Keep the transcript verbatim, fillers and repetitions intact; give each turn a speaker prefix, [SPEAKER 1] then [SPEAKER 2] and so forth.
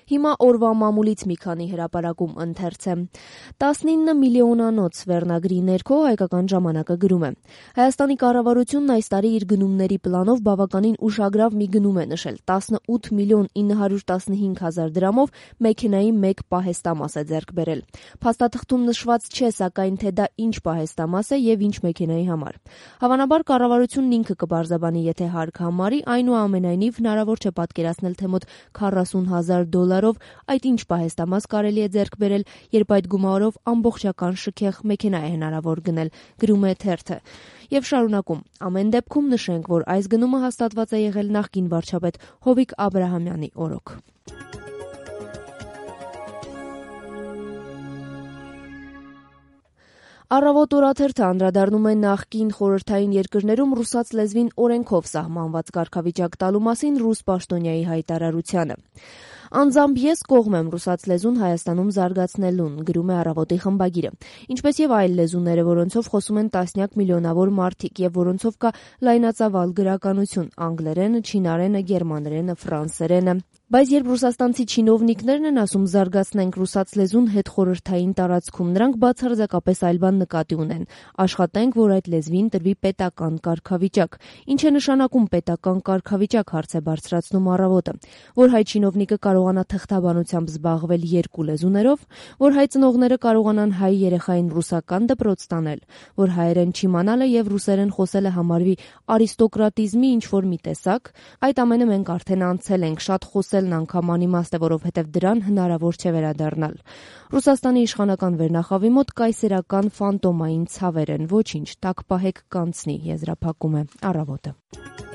[SPEAKER 1] Հիմա օրվա մամուլից մի քանի հրապարակում ընթերց է։ տասնինը միլիոնանոց վերնագրի ներքո Հայկական ժամանակը գրում է. Հայաստանի կառավարությունն այս տարի իր գնումների պլանով բավականին ուշագրավ մի գնում է նշել՝ տասնութ միլիոն ինը հարյուր տասնհինգ հազար դրամով մեքենայի մեկ պահեստամաս է ձեռք բերել։ Փաստաթղթում նշված չէ, սակայն, թե դա ինչ պահեստամաս է եւ ինչ մեքենայի համար։ Հավանաբար կառավարությունն ինքը կբարձաբանի, եթե հարկ համարի, այնուամենայնիվ հնարավոր չէ պատկերացնել, թե մոտ քառասուն հազար դոլարով այդ ինչ պահեստամաս կարելի է ձեռք բերել, երբ այդ գումարով ամբողջական շքեղ մեքենա է հնարավոր գնել, գրում է թերթը։ Եվ շարունակում. ամեն դեպքում նշենք, որ այս գնումը հաստատված է եղել նախկին վարչապետ Հովիկ Աբրահամյանի օրոք։ Առավոտ օրաթերթը անդրադառնում է նախկին խորհրդային երկրներում ռուսաց լեզվին օրենքով սահմանված կարգավիճակ տալու մասին ռուս պաշտոնյայի հայտարարությանը։ Անձամբ ես կողմ եմ ռուսաց լեզուն Հայաստանում զարգացնելուն, գրում է Առավոտի խմբագիրը, ինչպես եւ այլ լեզուները, որոնցով խոսում են տասնյակ միլիոնավոր մարդիկ եւ որոնցով կա լայնածավալ գրականություն՝ անգլերենը, չինարենը, գերմաներենը, ֆրանսերենը։ Բայց երբ ռուսաստանցի չինովնիկներն են ասում զարգացնենք ռուսաց լեզուն հետխորհրդային տարածքում, նրանք բացարձակապես այլ բան նկատի ունեն՝ աշխատենք, որ այդ լեզվին տրվի պետական կարգավիճակ։ Ինչ է նշանակում պետական կարգավիճակ, հարց է բարձրացնում Առավոտը, որ հայ չինովնիկը կարողանա թղթաբանությամբ զբաղվել երկու լեզուներով, որ հայ ծնողները կարողանան հայ երեխային ռուսական դպրոց տանել, որ հայերեն չիմանալը եւ ռուսերեն խոսելը համարվի արիստոկրատիզմի ինչ-որ մի տեսակ, այդ ամենը մենք արդեն անցել ենք, շատ խոսելն անգամ անիմաստ է, որովհետեւ դրան հնարավոր չէ վերադառնալ։ Ռուսաստանի իշխանական վերնախավի մոտ կայսերական ֆանտոմային ցավեր են, ոչինչ, տակ պահեք կանցնի, եզրափակում է Առավոտը։